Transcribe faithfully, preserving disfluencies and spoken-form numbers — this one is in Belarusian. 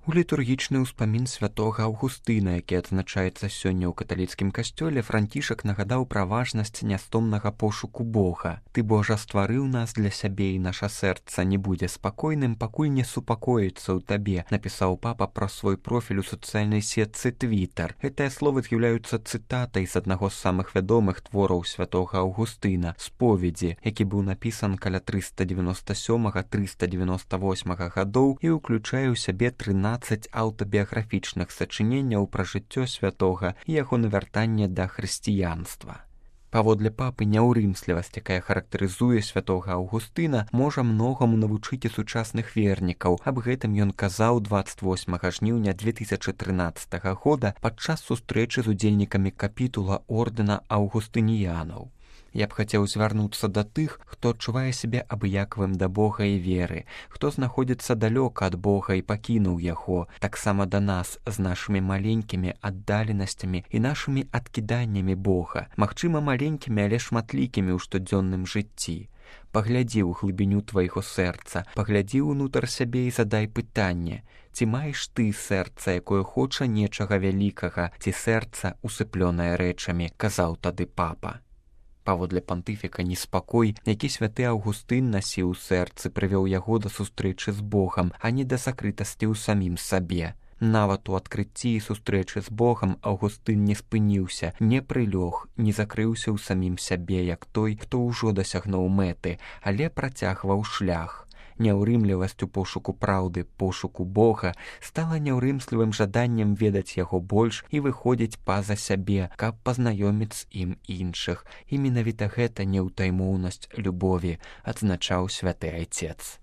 У літургічны ўспамін святога Аўгустына, які адзначаецца сёння ў каталіцкім касцёле, Францішак нагадаў пра важнасць нястомнага пошуку Бога. «Ты, Божа, стварыў нас для сябе, і наша сэрца не будзе спакойным, пакуль не супакоіцца ў табе», напісаў папа пра свой профіль у сацыяльнай сетцы Твітар. Гэтыя словы з'яўляюцца цытатай з аднаго з самых вядомых твораў святога Аўгустына «Споведзі», які быў напісан каля трыста дзевяноста сёмага - трыста дзевяноста восьмага гадоў і ўключае ў сябе трынаццаць аўтабіяграфічных сачыненняў пра жыццё святога і яго навяртанне да хрысціянства. Паводле папы, няўрымслівасць, якая характарызуе святога Аўгустына, можа многаму навучыць і сучасных вернікаў. Аб гэтым ён казаў дваццаць восьмага жніўня две тысячы трынаццатага года падчас сустрэчы з удзельнікамі капітула ордэна аўгустыніянаў. Я б хацеў звярнуцца да тых, хто адчувае сябе абыякавым да Бога і веры, хто знаходзіцца далёка ад Бога і пакінуў яго, таксама да нас з нашымі маленькімі аддаленасцямі і нашымі адкіданнямі Бога, магчыма, маленькімі, але шматлікімі ў штодзённым жыцці. Паглядзі ў глыбіню твайго сэрца, паглядзі ўнутр сябе і задай пытанне: ці маеш ты сэрца, якое хоча нечага вялікага, ці сэрца усыплёнае рэчамі, казаў тады папа. Паводле пантыфіка, неспакой, які святы Аўгустын насіў у сэрцы, прывёў яго да сустрэчы з Богам, а не да сакрытасці ў самім сабе. Нават у адкрыцці і сустрэчы з Богам Аўгустын не спыніўся, не прылёг, не закрыўся ў самім сябе, як той, хто ўжо дасягнуў мэты, але працягваў шлях. Няўрымлівасць у пошуку праўды, пошуку Бога стала няўрымслівым жаданнем ведаць яго больш і выходзіць па-за сябе, каб пазнаёміць з ім іншых. І менавіта гэта неўтаймоўнасць любові, адзначаў святы айцец.